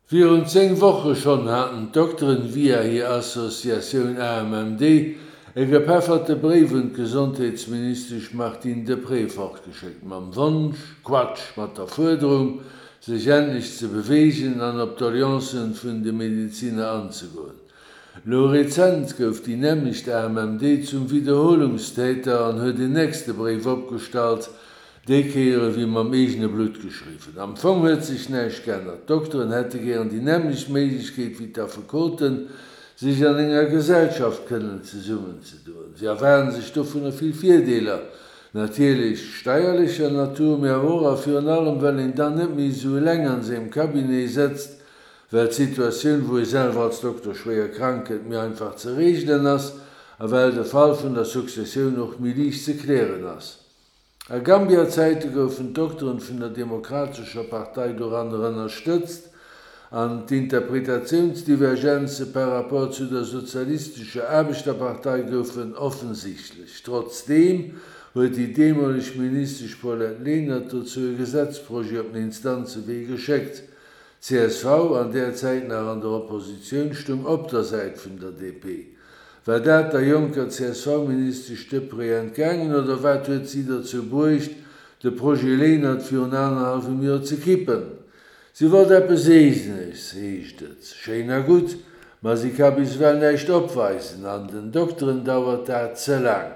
Virun 10 Woche schonn haten d'Dokteren via hir Associatioun AMMD e gepefferte Bréif un d'Gesondheetsministesch Martine Deprez fortgeschéckt mam Wonsch, Quatsch, mat der Fuerderung, sech endlech ze beweegen an op d'Doleancen vun de Medeziner anzegoen. Lo rezent gouf déi nämmlecht AMMD zum Wiederholungstäter an huet en nächste Bréif opgestallt, déi Kéier ewéi mam eegene Blutt geschriwwen. Am Fong huet sech näischt geännert, d'Dokteren hätte gären déi nämmlecht Méiglechkeet wéi d'Affekoten, sech an enger Gesellschaft kënnen zesummenzedoen. Si erwaarden sech dovunner vill Virdeeler, natierlech steierlecher Natur, mee awer och a virun allem well een dann net méi esou eleng an sengem Cabinet sëtzt, well d'Situatioun, wou ee selwer als Dokter schwéier krank gëtt, méi einfach ze reegelen ass a well de Fall vun der Successioun och méi liicht ze klären ass. A Gambia-Zäite goufen d'Dokteren vun der Demokratescher Partei doranner ënnerstëtzt an d'Interpretatiounsdivergenze par rapport zu der Sozialistescher Aarbechterpartei goufen offensichtlech. Trotzdeem huet déi deemoleg Ministesch Paulette Lenert dozou e Gesetzprojet op den Instanzewee geschéckt. Csv, an där Zäit nach an der Oppositioun, stung op der Säit vun der DP. War dat der jonker CSV-Ministesch Deprez entgaangen oder wat huet si derzou bruecht, de Projet Lenert virun anerhallwem Joer ze kippen? Si wollt eppes Eegenes, heescht et. Schéin a gutt, ma si ka bis ewell näischt opweisen an den Dokteren dauert dat ze laang.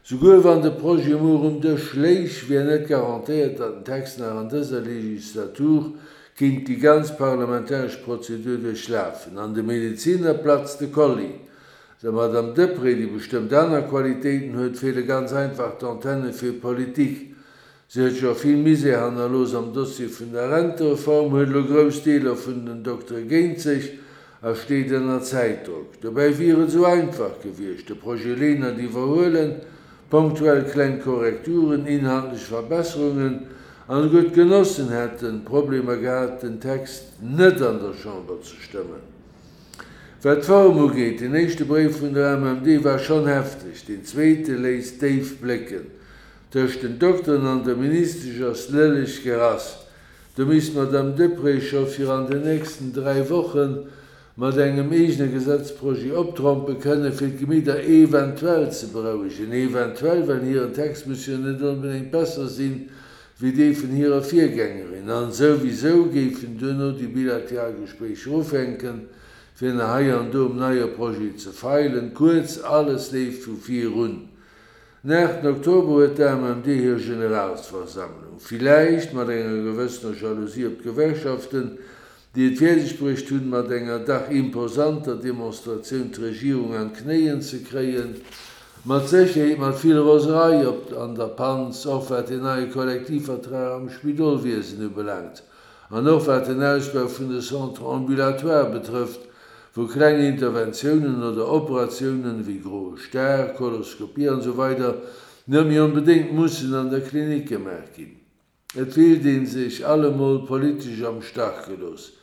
Souguer wann de Projet muer um Dësch léich, wier net garantéiert, datt den Text nach an dëser Legislatur kinnt déi ganz parlamentaresch Prozedur duerchlafen. An de Medeziner platzt de Kolli. Der Madame Deprez, déi bestëmmt aner Qualitéiten huet, feele ganz einfach d'Antenne fir Politik. Si huet scho vill Misär hannerlooss am Dossier vun der Rentereform, huet elo grouss Deeler vun den Doktere géint sech a steet ënner Zäitdrock. Dobäi wier et esou einfach gewiescht, de Projet Lenert iwwerhuelen, ponktuell kleng Korrekturen, inhaltlech Verbesserungen, an esouguer d'Genossen hätten Problemer gehat, den Text net an der Chamber ze stëmmen. Wat d'Form ugeet, den éischte Bréif vun der AMMD war schonn hefteg, deen zweete léisst déif blécken. Tëscht den Dokteren an der Ministesch ass lëlleg gerass. Do misst d'Madame Deprez scho fir an den nächsten 3 Woche mat engem eegene Gesetzprojet optrompe kënnen, fir d'Gemidder eventuell ze berouegen. Eventuell, well hiren Text muss jo net onbedéngt besser sinn, wéi dee vun hirer Virgängerin. An souwisou géifen duerno déi bilateral Gespréicher ufänken, fir nach hei an do um neie Projet ze feilen. Kuerz, alles leeft vu vir un. Den 8 Oktober huet d'AMMD hir Generalsversammlung. Villäicht mat enger gewëssener Jalousie op d'Gewerkschaften, déi et fäerdeg bruecht hunn, mat enger dach imposanter Demonstratioun d'Regierung an d'Knéien ze kréien. Mat Sécherheet mat vill Roserei op an der Panz, och wat den neie Kollektivvertrag am Spidolwiesen ubelaangt. An och wat den Ausbau vun de Centres ambulatoires betrëfft, wou kleng Interventiounen oder Operatiounen, wéi groe Star, Koloskopie an esou weider net méi onbedéngt mussen an der Klinik gemaach ginn. Et fillt ee sech allemol politesch am Stach gelooss,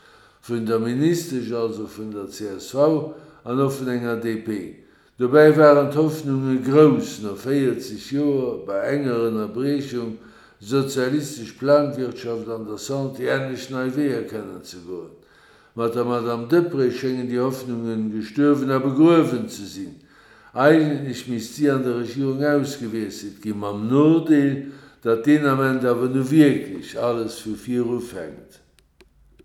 vun der Ministesch, also vun der csv an och vun enger DP. Dobäi waren d'Hoffnunge grouss, no 40 Joer, bei enger Ënnerbriechung, sozialistesch Planwirtschaft an der Santé endlech nei Weeër kennen ze goen. Mat der Madame Deprez schéngen déi Hoffnunge gestuerwen a begruewen ze sinn. Eigentlech misst si an der Regierung ausgewiesselt ginn, mam Nodeel, datt deen Ament awer nu wierklech alles vu vir ufänkt.